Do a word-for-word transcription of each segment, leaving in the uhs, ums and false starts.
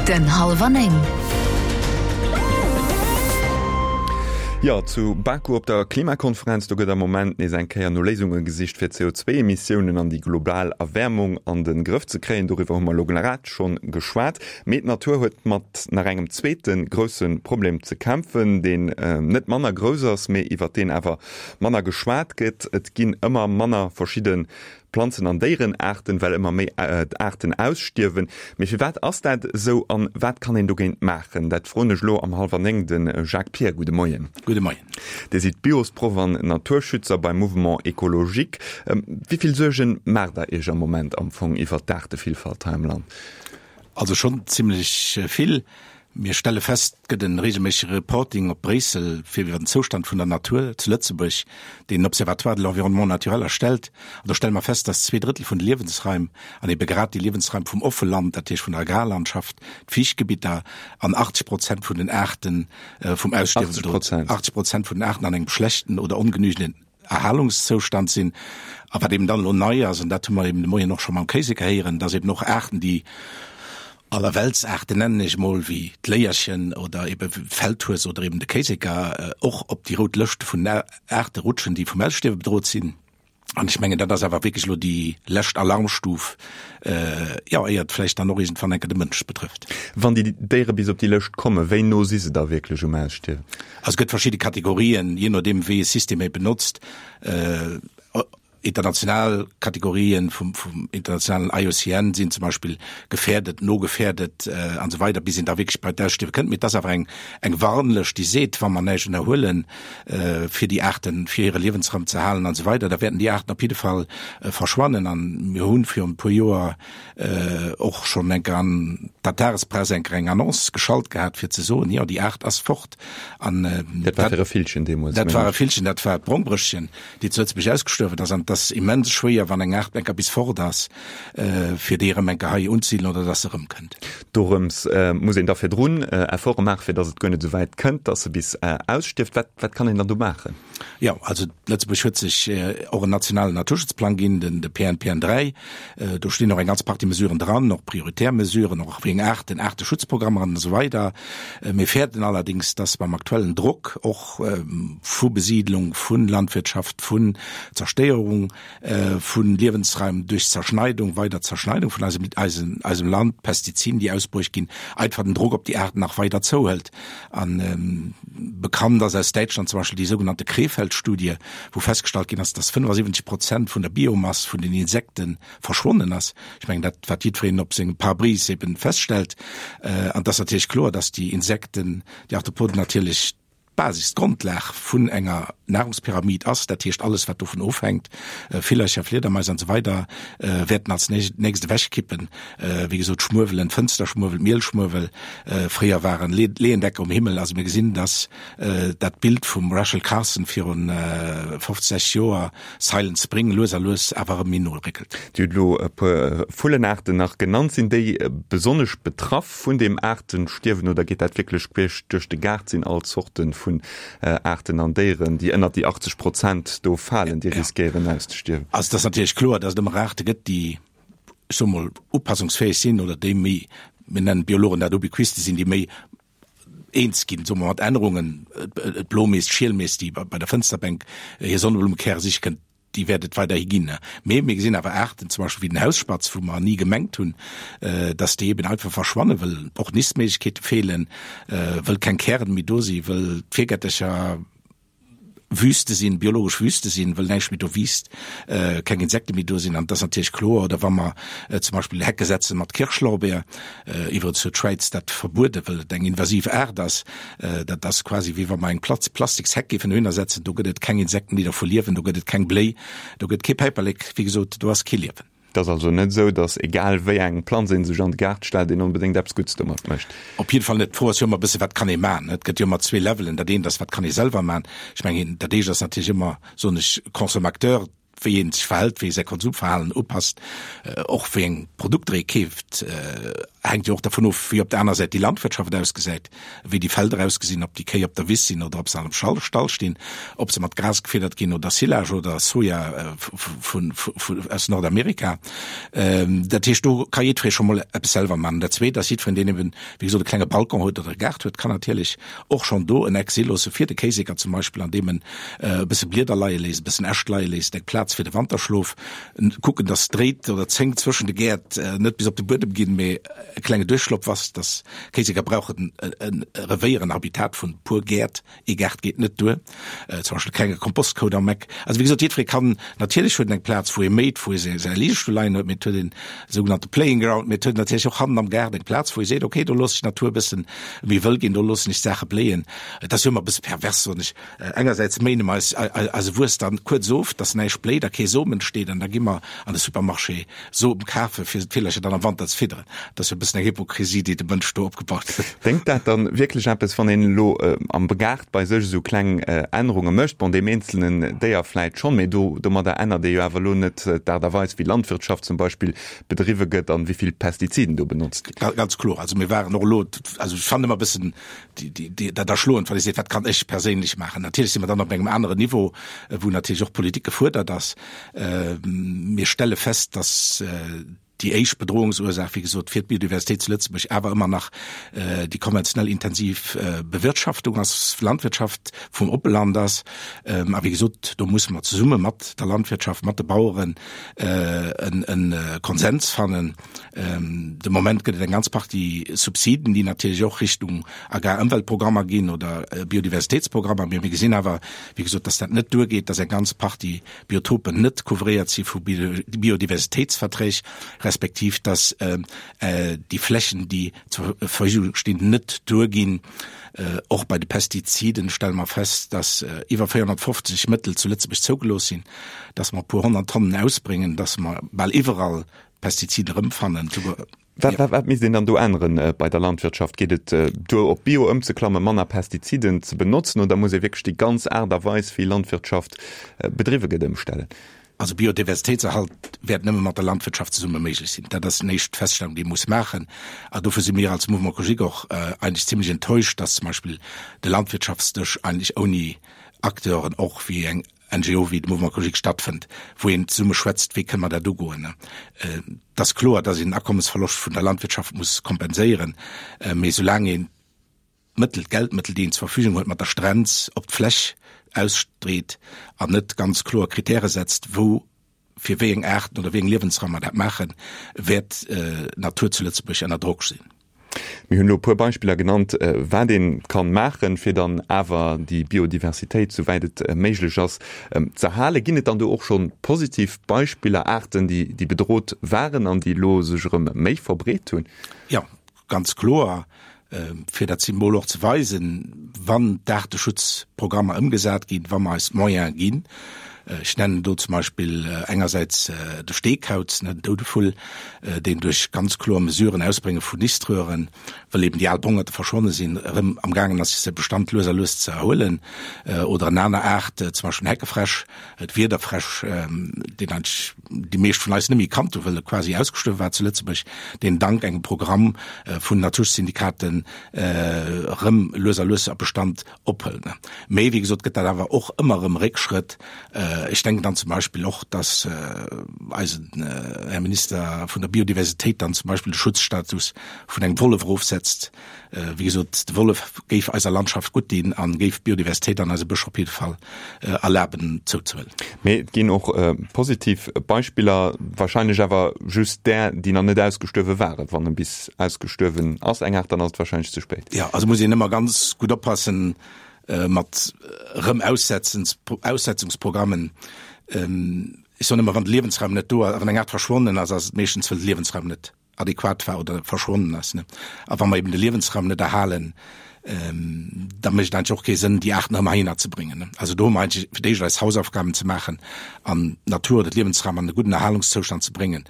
Den Hallwer Néng. Jo, zu Baku op der Klimakonferenz, do gëtt am Moment nees eng Kéier no Léisunge gesicht, fir d'C O zwee Emissiounen an déi global Erwäermung an de Grëff ze kréien. Doriwwer hu mer elo grad schonn geschwat. Mee d'Natur huet mat nach engem zweete grousse Problem ze kämpfen, deen net manner grouss ass, mee iwwer deen awer manner geschwat gëtt. Et ginn ëmmer manner verschidde Planzen an Déierenaarten, well ëmmer méi Aarten ausstierwen. Mee firwat ass dat esou an wat kann een dogéint maachen? Dat froen ech elo am hallwer néng de Jacques Pir. Gudde Moien. Gudde Moien. Dir sidd Biosproff an Naturschützer beim Mouvement Ecologique. Wéi vill Suergen maacht der Iech am Moment am Fong iwwert d'Aartevillfalt hei am Land? Also schonn zimlech vill. Mir stelle fest, et gëtt e reegelméissege Reporting op Bréissel fir iwwer den Zoustand vun der Natur zu Lëtzebuerg, deen den Observatoire de l'environnement naturel erstellt. An do stelle mer fest, dass zwee Drëttel vun de Liewensraim, an ebe grad déi Liewensraim vum Offeland, dat heescht vun der Agrarlandschaft, d'Fiichtgebitter, an achtzeg Prozent vun den Aarte vum Ausstierwen bedroht, achtzeg Prozent vun den Aarten an engem schlechten oder ongenügenden Erhalungszoustand sinn. A wat eben dann elo nei ass, an dat hu mer eben de Moien och scho mam Kéiseker héieren, dass eben och Aarten, déi Allerweltsaarten, nennen ech emol, wéi d'Léierchen oder ebe Feldhues oder eben de Kéiseker, och op déi rout Lëscht vun Aarte rutschen, déi vum Ausstierwe bedroht sinn. An ech mengen, dat ass awer wierklech elo déi lescht Alarmstuf, jo, éier et vläicht dann och iergendwann eng Kéier de Mënsch betrëfft. Wann déi Déiere bis op déi Lëscht kommen, wéi no si se da wierklech um Ausstierwen? Also et gëtt verschidde Kategorien, jee nodeem wéi ee System ee benotzt. International Kategorien vum, vum internationalen I U C N sinn zum Beispill gefährdet, no gefährdet, äh, an so weiter, bis een da wierklech bei d'Ausstierwe kënnt. Mee et ass awer eng, eng Warnlëscht, déi seet, wa mer näischt ënnerhuelen, äh, fir déi Aarten, fir hire Liewensraum ze halen an so weiter, da wäerten déi Aarten op jidde Fall, äh, verschwannen. An mir hunn virun e puer Joer, äh, och schonn eng Kéier an der Tagespress eng Kéier eng Annonce geschalt gehat, fir ze soen, jo, déi Aart ass fort. An, äh, Dat war fir e Villchen deemools, dat mengen war e ech. Villchen, dat war d'Brongbrëschchen, déi zu Lëtzebuerg ausgestuerwen ass. An das ass immens schwéier, wann eng Aart eng Kéier bis fort ass, äh, fir déi erëm eng Kéier hei unzesiedelen oder dass se erëmkënnt. Dorëms, äh, muss een da virdrun, äh, Efforte maachen, fir dass et guer net esou wäit kënnt, dass se bis, äh, ausstierft. Wat, wat kann een dann do maachen? Ja, also Lëtzebuerg huet sech, äh, och en nationalen Naturschutzplang ginn, den, de P N P N dräi. Äh, do stinn och eng ganz Partie Mesuren dran, och prioritär Mesuren, och wéi eng Aarten, Aarteschutzprogrammer an esou weider. Äh, mir fäerten allerdings, dass beim aktuellen Drock och, ähm, vu Besiedlung, vun Landwirtschaft, vun Zerstéierung, äh, vun Liewensraim durch Zerschneidung, weider Zerschneidung vun eisem, eisem, eisem Land, Pestiziden, déi ausbruecht ginn, einfach den Drock op déi Aarten nach weiter zouhält. An, ähm, bekannt ass aus Deutschland zum Beispiel die sogenannte Krefeld-Studie, wo festgestellt ginn ass, dass fünfundsiebzig Prozent vun der Biomasse vun den Insekten verschwunden ass. Ich meine, dat, wat jiddwereen op sengem Pare-brise eben feststellt. Äh, an das ist natürlich klar, dass die Insekten, die Arthropoden natürlich Basis, Grundlag vun enger Nahrungspyramid ass, dat heescht alles, wat dovun ofhänkt, äh, Villercher, Fledermäuse an so weiter, äh, werden als nächst, nächste wegkippen. Äh, wie gesagt, Schmuewelen, Fensterschmuewel, Mielschmuewel, äh, früher waren Le-, Lehendecker um Himmel. Also wir gesehen, dass, äh, dat Bild vum Rachel Carson virun, äh, fünfzig Joer Silent Spring lues a lues awer erëm méi no réckelt. Dir hutt elo e puer Vullenaarten nach genannt. Sinn déi, äh, besonnesch betraff vun dem Aartenstierwen oder geet dat wierklech queesch duerch de Gaart? Sinn all Zorten vun, äh, Aarten an Déieren, déi ënner déi achtzeg Prozent do falen, déi Ja. riskéieren auszestierwen? Also das ist natürlich klar, dass es immer Aarte gëtt, déi, ich sag mal, upassungsfähig sinn oder déi méi, wir nennen Biologen dat Ubiquiste sinn, déi méi eens ginn, so mat Ännerungen, äh, äh, Blomees, Schielmees, déi bei, bei der Fensterbank, äh, hir Sonneblumekäre sich kënnt, déi werdet weiterhi ginn, ne? Mee mir gesinn awer Aarten, zum Beispiel wie den Hausspatz, wo mer nie gemengt hunn, äh, dass déi eben einfach verschwannen, well och Nistméiglechkeete fehlen, äh, well keng Kären méi do si, well d'Virgättercher Wüste sinn, biologesch Wüste sinn, well näischt méi do wiisst, äh, keng Insekte méi do sinn, an das ist natürlich kloer. Oder wann mer, äh, zum Beispiel Hecke setzen mat Kirschlorbeer, äh, iwwer zur Schweiz dat verbuede, well et eng invasiv Aart ass, äh, dat ass quasi wie wann mer eng Platz Plastiksheck géifen dohinner setzen, do gëtt et keng Insekten, déi dervu liewen, do gëtt et keng Bléi, do gëtt kee Päiperlek, wéi gesot, do ass kee Liewen. Dat ass also net esou, dass egal wéi eng Planz een sech an de Gaart stellt, een onbedéngt eppes Guddes domat mécht. Op jeden Fall net. D'Fro ass jo ëmmer e bësse, wat kann ee maachen? Et gëtt jo ëmmer zwee Levelen. Dat eent ass, wat kann ee selwer maachen? Ich mengen, dat eescht ass natierlech ëmmer, soen ech, Consommateur, wéi een sech verhält, wéi ee säi Konsumverhalen upasst, och wéi eng Produkter ee keeft, hänkt jo och dervun of, wéi op der aner Säit déi Landwirtschaft ausgesäit, wéi déi Felder ausgesinn, ob déi Kéi op der Wiss sinn oder ob se an engem Stall stinn, ob se mat Gras gefiddert ginn oder Silage oder Soja vun, aus Nordamerika. Dat heescht, do ka jiddweree scho mol eppes selwer maachen. Dat Zweet ass, jiddwereen, deen eben, wéi gesot, e klenge Balcon huet oder e Gaart huet, kann natierlech och schonn do en Eck si loosse fir de Kéiseker zum Beispill, andeem en e bësse Blieder leie léisst, e bëssen Äscht leie léisst, eng Plaz fir de Wanterschlof, kucken, dass d'Dréit oder d'Zénk zwëschen de Gäert net bis op de Buedem ginn, mee e klenge Duerchschlopp ass, dass Kéiseker brauchen e Revéier, en Habitat vun puer Gäert, ee Gaart geet net duer, zum Beispill e klenge Kompostkoup am Eck. Also wéi gesot, jiddweree kann, natierlech huet en eng Plaz, wou e méit, wou e säi Ligestull leien huet, mee et huet een sougenannte Playing Ground, mee et huet natierlech och hannen am Gaart eng Plaz, wou e seet, okay, do loosse ech d'Natur e bëssen méi wëll ginn, do loossen ech d'Saache bléien. Et ass jo ëmmer e bësse pervers, soen ech. Engersäits méine mer eis eise Wuess dann kuerz of, dass näischt bléit a kee Som entsteet, an da gi mer an de Supermarché Som kafe fir d'Villercher dann am Wanter ze fidderen. Dat ass jo e bëssen eng Hypokrisie, déi de Mënsch do opgebaut huet. Déngt dat dann wierklech eppes, wann een elo am Gaart bei sech esou kleng Ännerunge mécht? Bon, deem eenzelnen Déier vläit schonn, mee do domadder ännert ee jo awer elo net d'Aart a Weis, wéi Landwirtschaft zum Beispill bedriwwe gëtt an wéi vill Pestiziden do benotzt ginn. Ganz kloer. Also mir waren och elo, also ech fannen ëmmer e bëssen dat erschloend, wann ee seet, wat kann ech perséinlech maachen. Natierlech si mer dann op engem aneren Niveau, wou natierlech och Politik gefuerdert ass. Mir stelle fest, dass déi éischt Bedrohungsursaach, wéi gesot, fir d'Biodiversitéit zu Lëtzebuerg awer ëmmer nach déi konventionell intensiv Bewirtschaftung ass, Landwirtschaft vum Oppeland ass. A wéi gesot, do musse mer zesumme mat der Landwirtschaft, mat de Baueren e Konsens fannen. De Moment gëtt et eng ganz Partie Subsiden, déi natierlech och Richtung Agrarëmweltprogrammer ginn oder Biodiversitéitsprogrammer. Mee mir gesinn awer, wéi gesot, dass dat net duergeet, dass eng ganz Partie Biotopen net couvréiert si vu Biodiversitéitsverträg, respektiv dass déi Flächen, déi zur Verfügung stinn, net duerginn. Och bei de Pestiziden stelle mer fest, dass iwwer véierhonnertfofzeg Mëttel zu Lëtzebuerg zougelooss sinn, dass mer e puer honnert Tonnen ausbréngen, dass mer bal iwwerall Pestizide erëmfannen, souguer. Wat, wat, wat misst een dann do änneren bei der Landwirtschaft? Geet et duer, op Bio ëmzeklammen, manner Pestiziden ze benotzen oder muss ee wierklech déi ganz Aart a Weis, wéi Landwirtschaft bedriwwe gëtt, ëmstellen? Also Biodiversitéitserhalt wäert nëmme mat der Landwirtschaft zesumme méiglech sinn. Dat ass déi éischt Feststellung, déi ee muss maachen. A dofir si mir als Mouvement Écologique och eigentlech zimlech enttäuscht, dass zum Beispill de Landwirtschaftsdësch eigentlech ouni Acteuren och wéi eng N G O wéi de Mouvement Écologique stattfënnt, wou een zesumme schwätzt, wéi kënne mer dat ugoen. Et ass kloer, datt een den Akommesverloscht vun der Landwirtschaft muss kompenséieren, mee soulaang een d'Mëttel, d'Geldmëttel, déi een zur Verfügung huet, mat der Strenz op d'Fläch ausstreet an net ganz kloer Kritäre setzt, wou fir wéi eng Aarten oder wéi eng Liewensraum mer dat maachen, wäert d'Natur zu Lëtzebuerg ënner Drock sinn. Mir hunn elo e puer Beispiller genannt, wat ee kann maachen, fir dann awer déi Biodiversitéit, souwäit et méiglech ass, z'erhalen. Ginn et dann do och scho positiv Beispiller, Aarten, déi bedrot waren an déi elo sech erëm méi verbreet hunn? Jo, ganz kloer. Fir dat Symbol och ze weisen, wann d'Aarteschutzprogrammer ëmgesat ginn, wa mer eis d'Moyene ginn, Ech nennen do zum Beispill engersäits de Steekauz, den Doudevull, deen duerch ganz kloer Mesuren, Ausbrénge vun Niströhren, well eben déi al Bongerte verschwonne sinn, erëm amgaangen ass, sech säi Bestand lues a lues ze erhuelen. Oder en aner Aart, zum Beispill den Heckefräsch, d'Wiederfräsch, deen eigentlech déi meescht vun eis net méi kannt hunn, well e quasi ausgestuerwe war zu Lëtzebuerg, deen dank engem Programm vun Naturschutzsyndikaten erëm lues a lues a Bestand ophëlt. Mee wéi gesot gëtt dat awer och ëmmer erëm Réckschrëtt. Ech denken dann zum Beispill och, dass eisen Här Minister vun der Biodiversitéit dann zum Beispill de Schutzstatus vun engem Wollef erofsetzt. Wéi gesot, de Wollef géif eiser Landschaft gutt dinn a géif d'Biodiversitéit an eise Bëscher op jidde Fall erlaben zouzehuelen. Mee et ginn och positiv Beispiller, wahrscheinlech awer just där, déi nach net ausgestuerwe waren. Wann e bis ausgestuerwen ass, eng Aart, dann ass et wahrscheinlech ze spéit. Jo, also muss een ëmmer ganz gutt oppassen mat erëm Aussetzungsprogrammen. Ech soen ëmmer, wann de Liewensraum net do ass, wann eng Aart verschwonnen ass, ass et meeschtens, well de Liewensraum net adequat war oder verschwonnen ass. A wa mer eben de Liewensraum net erhalen, da mécht et eigentlech och kee Sënn, déi Aarten erëm heihinner ze bréngen. Also do hu mer eigentlech fir d'éischt eis Hausaufgaben ze maachen an d'Natur oder d'Liewensraum an e gudden Erhalungszoustand ze bréngen.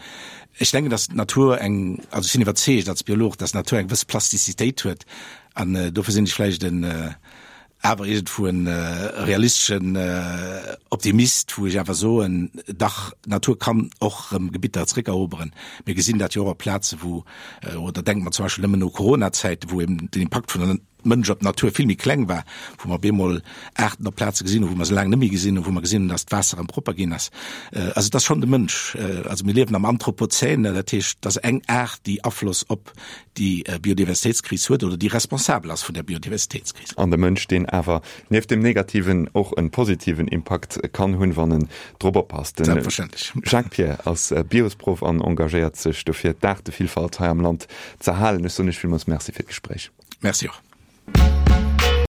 Ech denken, dass d'Natur eng, also ech sinn iwwerzeegt als Biolog, dass d'Natur eng gewëss Plastizitéit huet an dofir sinn ech vläicht en awer iergendwou en realisteschen Optimist, wou ech awer soen, dach, d'Natur kann och erëm Gebitter zréckeroberen. Mir gesinn dat jo och op Plaze wou, oder denke mer zum Beispill nëmmen u Corona-Zäiten, wou eben den Impakt vun der Mënsch op d'Natur vill méi kleng war, wou mer op eemol Aarten op Plaze gesinn hunn, wou mer se laang net méi gesinn hunn, wou mer gesinn hunn, datt d'Waasser erëm propper ginn ass. Also et ass schonn de Mënsch. Also mir liewen am Anthropozän, dat heescht, et ass eng Aart, déi Afloss op déi Biodiversitéitskris huet oder déi responsabel ass vun der Biodiversitéitskris. An de Mënsch, deen awer nieft dem negativen och e positiven Impakt kann hunn, wann en drop oppasst. Den Jacques Pir ass Biosproff an engagéiert sech dofir, d'Aartevillfalt hei am Land z'erhalen. Ech soen Iech villmools Merci fir d'Gespréich. Merci och.